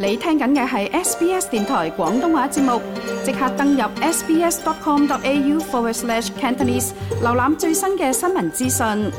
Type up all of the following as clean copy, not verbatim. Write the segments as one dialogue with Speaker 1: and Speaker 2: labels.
Speaker 1: 你聽緊嘅係 SBS 電台廣東話節目，即刻登入 sbs.com.au/Cantonese 瀏覽最新嘅新聞資訊。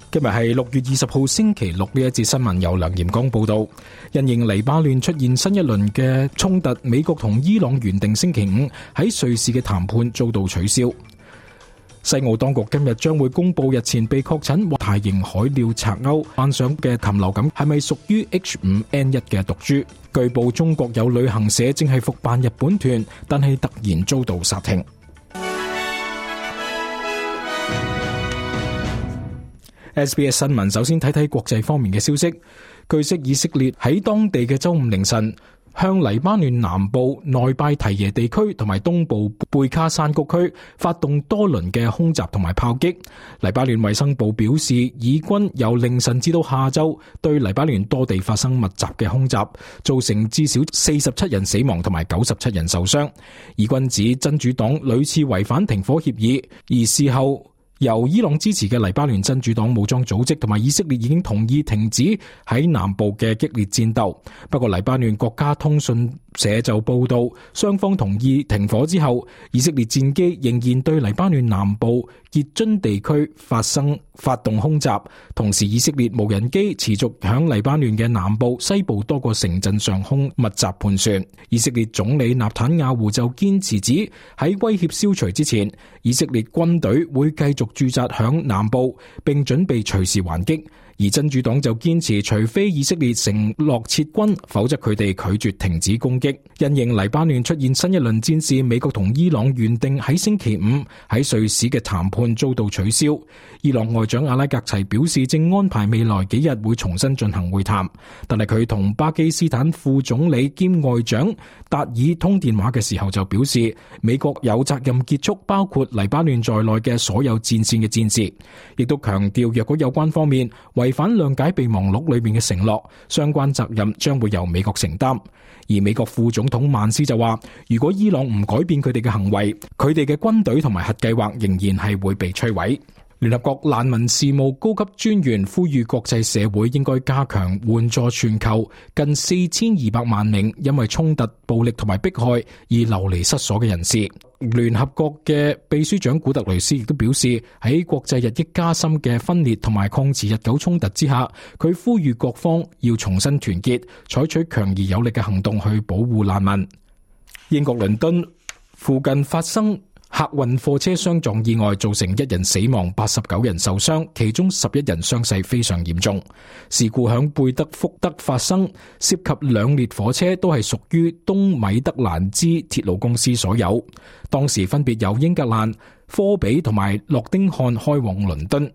Speaker 2: 今日係6月20號星期六，呢一節新聞由梁炎光報道。因應黎巴嫩出現新一輪嘅衝突，美國同伊朗原定星期五喺瑞士嘅談判遭到取消。西澳當局今日將會公布日前被確診大型海鳥賊鷗患上嘅禽流感係咪屬於 H5N1 嘅毒株。據報中國有旅行社正係復辦日本團，但係突然遭到煞停。SBS 新聞首先睇睇國際方面嘅消息。據悉，以色列喺當地嘅周五凌晨向黎巴嫩南部內拜提耶地區同埋東部貝卡山谷區發動多輪嘅空襲同埋炮擊。黎巴嫩衛生部表示，以軍由凌晨至到下晝對黎巴嫩多地發生密集嘅空襲，造成至少47人死亡同埋97人受傷。以軍指真主黨屢次違反停火協議，而事後由伊朗支持嘅黎巴嫩真主黨武裝組織同埋以色列已經同意停止喺南部嘅激烈戰鬥。不過黎巴嫩國家通訊社就報道，雙方同意停火之後，以色列戰機仍然對黎巴嫩南部傑津地區發動空襲，同時以色列無人機持續響黎巴嫩嘅南部、西部多個城鎮上空密集盤旋。以色列總理納坦雅胡就堅持指喺威脅消除之前，以色列軍隊會繼續駐紮響南部，並準備隨時還擊。而真主黨就堅持，除非以色列承諾撤軍，否則佢哋拒絕停止攻擊。因應黎巴嫩出現新一輪戰事，美國同伊朗原定喺星期五喺瑞士嘅談判遭到取消。伊朗外長阿拉格齊表示，正安排未來幾日會重新進行會談，但係佢同巴基斯坦副總理兼外長達爾通電話嘅時候就表示，美國有責任結束包括黎巴嫩在內嘅所有戰線嘅戰事，亦都強調若果有關方面違反諒解備忘錄裏面嘅承諾，相關責任將會由美國承擔。而美國副總統曼斯就話，如果伊朗唔改變佢哋嘅行為，佢哋嘅軍隊同埋核計劃仍然係會被摧毀。聯合國難民事務高級專員呼籲國際社會應該加強援助全球近4200萬名因為衝突、暴力同埋迫害而流離失所嘅人士。聯合國嘅秘書長古特雷斯亦都表示，喺國際日益加深嘅分裂同埋抗持日久衝突之下，佢呼籲各方要重新團結，採取強而有力嘅行動去保護難民。英國倫敦附近發生客運貨車相撞意外，造成1人死亡，89人受傷，其中11人傷勢非常嚴重。事故響貝德福德發生，涉及2列火車，都係屬於東米德蘭茲鐵路公司所有。當時分別由英格蘭、科比同埋諾丁漢開往倫敦。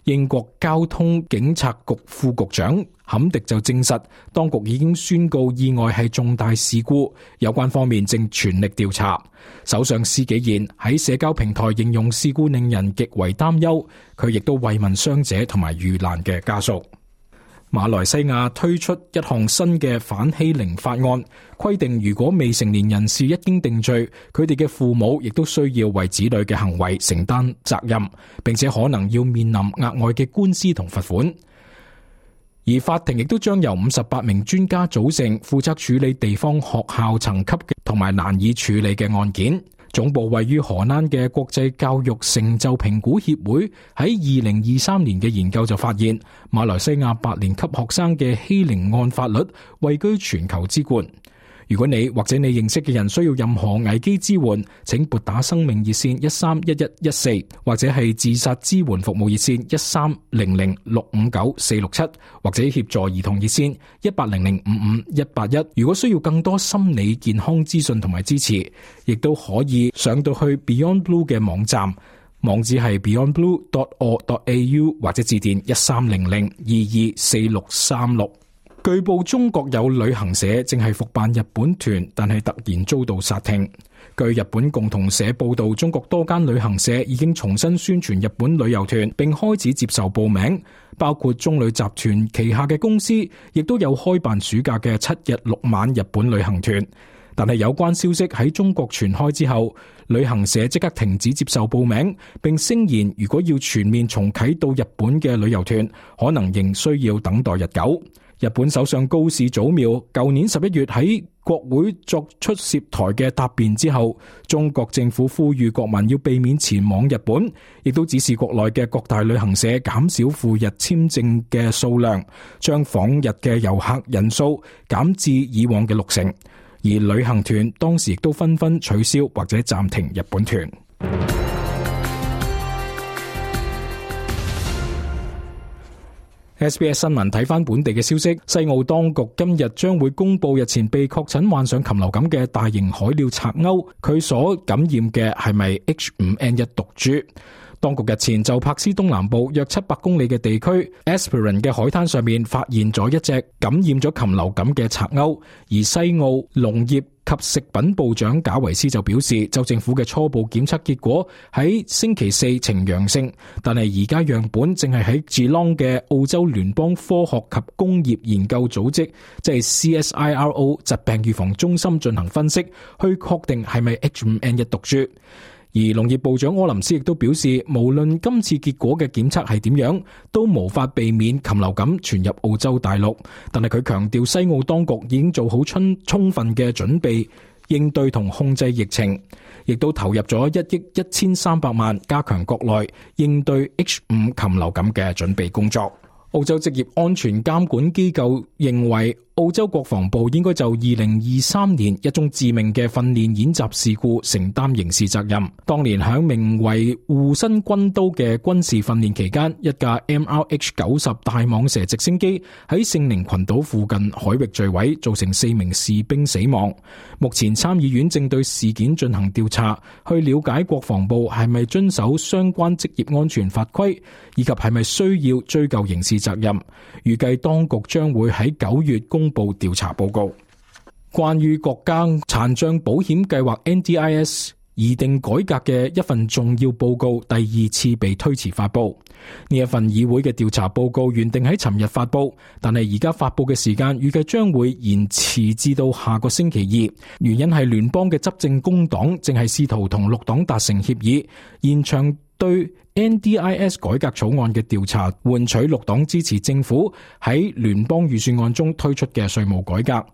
Speaker 2: 英國交通警察局副局長坎迪就證實，當局已經宣告意外係重大事故，有關方面正全力調查。首相施紀賢喺社交平台形容事故令人極為擔憂，佢亦都慰問傷者同埋遇難嘅家屬。馬來西亞推出一項新嘅反欺凌法案，規定如果未成年人士一經定罪，佢哋嘅父母亦都需要為子女嘅行為承擔責任，並且可能要面臨額外嘅官司同罰款。而法庭亦都將由58名專家組成，負責處理地方學校層級嘅同埋難以處理嘅案件。總部位於荷蘭嘅國際教育成就評估協會喺2023年嘅研究就發現，馬來西亞8年級學生嘅欺凌案法率位居全球之冠。如果你或者你認識嘅人需要任何危機支援，請撥打生命熱線131114，或者係自殺支援服務熱線1300659467，或者協助兒童熱線1800558181。如果需要更多心理健康資訊同埋支持，亦都可以上到去 Beyond Blue 嘅網站，網址係 beyondblue.org.au， 或者致電1300224636。據報中國有旅行社正係復辦日本團，但係突然遭到煞停。據日本共同社報道，中國多間旅行社已經重新宣傳日本旅遊團，並開始接受報名，包括中旅集團旗下嘅公司，亦都有開辦暑假嘅7日6晚日本旅行團。但係有關消息喺中國傳開之後，旅行社即刻停止接受報名，並聲言如果要全面重啟到日本嘅旅遊團，可能仍需要等待日久。日本首相高市早苗舊年11月喺國會作出涉台嘅答辯之後，中國政府呼籲國民要避免前往日本，亦都指示國內嘅各大旅行社減少赴日簽證嘅數量，將訪日嘅遊客人數減至以往嘅60%，而旅行團當時亦都紛紛取消或者暫停日本團。SBS 新聞睇返本地嘅消息，西澳當局今日將會公布日前被確診患上禽流感嘅大型海鳥賊鷗，佢所感染嘅係咪 H5N1 毒株？當局日前就柏斯東南部約700公里嘅地區 Esperance 嘅海灘上面發現咗一隻感染咗禽流感嘅賊鷗，而西澳農業及食品部長賈維斯就表示，州政府嘅初步檢測結果喺星期四呈陽性，但係而家樣本正係喺 Geelong 嘅澳洲聯邦科學及工業研究組織，即係 CSIRO 疾病預防中心進行分析，去確定係咪 H5N1 毒株。而農業部長柯林斯亦都表示，無論今次結果嘅檢測係點樣，都無法避免禽流感傳入澳洲大陸。但係佢強調，西澳當局已經做好充分嘅準備應對同控制疫情，亦都投入咗1億1300萬加強國內應對 H5 禽流感嘅準備工作。澳洲職業安全監管機構認為，澳洲國防部應該就2023年一宗致命嘅訓練演習事故承擔刑事責任。當年響名為護身軍刀嘅軍事訓練期間，一架 MRH-90 大蟒蛇直升機喺聖寧群島附近海域墜毀，造成4名士兵死亡。目前參議院正對事件進行調查，去了解國防部係咪遵守相關職業安全法規，以及係咪需要追究刑事責任。預計當局將會喺9月公布調查報告。關於國家殘障保險計劃 NDIS 擬定改革嘅一份重要報告第2次被推遲發布。呢一份議會嘅調查報告原定喺尋日發布，但係而家發布嘅時間預計將會延遲至到下個星期2。原因係聯邦嘅執政工黨正係試圖同綠黨達成協議，延長對 NDIS 改革草案嘅調查，換取綠黨支持政府喺聯邦預算案中推出嘅稅務改革。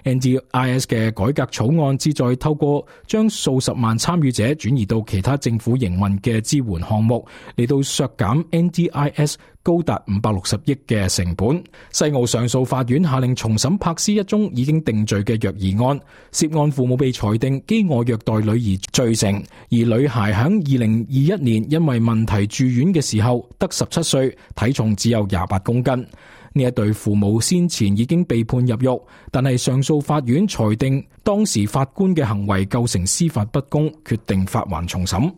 Speaker 2: NDIS 嘅改革草案旨在透過將數十萬參與者轉移到其他政府營運嘅支援項目，嚟到削減 NDIS 高達560億嘅成本。西澳上訴法院下令重審柏斯一宗已經定罪嘅虐兒案，涉案父母被裁定飢餓虐待女兒罪成，而女孩喺2021年因為問題住院嘅時候得17歲，體重只有28公斤。呢一對父母先前已經被判入獄，但係上訴法院裁定當時法官嘅行為構成司法不公，決定發還重審。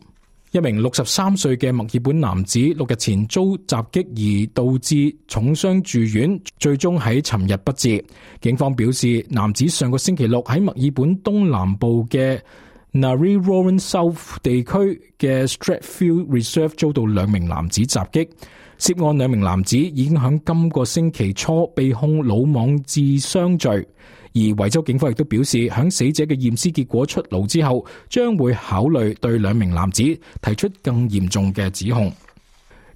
Speaker 2: 一名63歲嘅墨爾本男子6日前遭襲擊而導致重傷住院，最終喺尋日不治。警方表示，男子上個星期六喺墨爾本東南部嘅 Narre South 地區嘅 Strathfield Reserve 遭到2名男子襲擊。涉案2名男子已經喺今個星期初被控魯莽致傷罪，而維州警方亦都表示，喺死者嘅驗屍結果出爐之後，將會考慮對2名男子提出更嚴重嘅指控。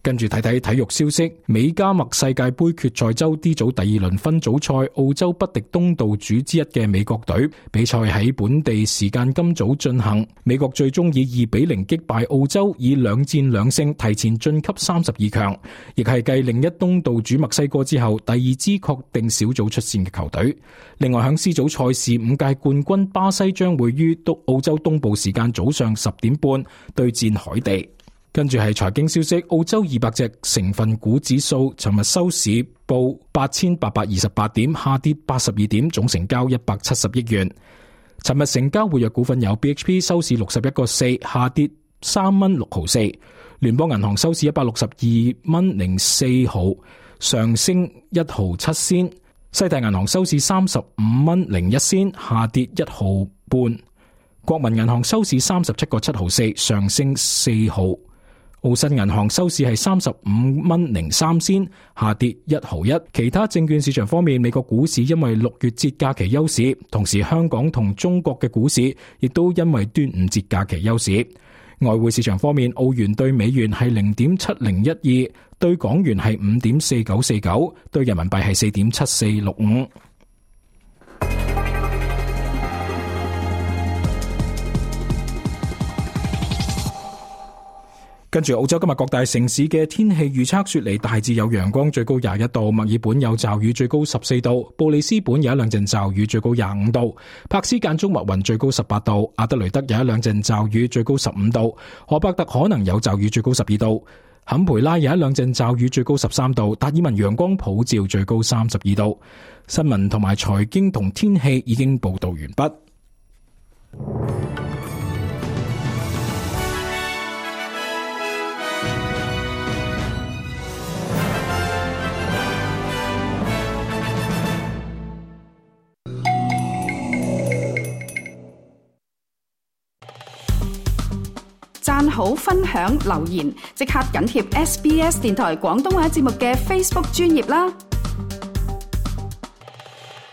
Speaker 2: 跟住睇睇體育消息，美加墨世界盃決賽周 D 組第2輪分組賽，澳洲不敵東道主之一嘅美國隊，比賽喺本地時間今早進行。美國最終以2-0擊敗澳洲，以2戰2勝提前晉級32強，亦係繼另一東道主墨西哥之後第2支確定小組出線嘅球隊。另外喺 C 組賽事，5屆冠軍巴西將會於澳洲東部時間早上10點半對戰海地。跟住係財經消息，澳洲200隻成分股指數尋日收市報8828點，下跌82點，總成交170億元。尋日成交活躍股份有 BHP 收市61個4，下跌3蚊6毫4；聯邦銀行收市162蚊04毫，上升1毫7仙；西太銀行收市35蚊01仙，下跌1毫半。國民銀行收市37個7毫4，上升4毫。澳新銀行收市係35蚊03仙，下跌1毫1。其他證券市場方面，美國股市因為6月節假期休市，同時香港同中國嘅股市亦都因為端午節假期休市。外匯市場方面，澳元對美元係0.7012，對港元係5.4949，對人民幣係4.7465。跟住澳洲今日各大城市嘅天氣預測，雪梨大致有陽光，最高21度；墨爾本有驟雨，最高14度；布里斯本有一兩陣驟雨，最高25度；柏斯間中密雲，最高18度；阿德雷德有一兩陣驟雨，最高15度；荷伯特可能有驟雨，最高12度；坎培拉有一兩陣驟雨，最高13度；達爾文陽光普照，最高32度。新聞同埋財經同天氣已經報道完畢。
Speaker 1: 讚好、分享、留言，即刻緊貼SBS 電台廣東話節目嘅 Facebook 專頁啦！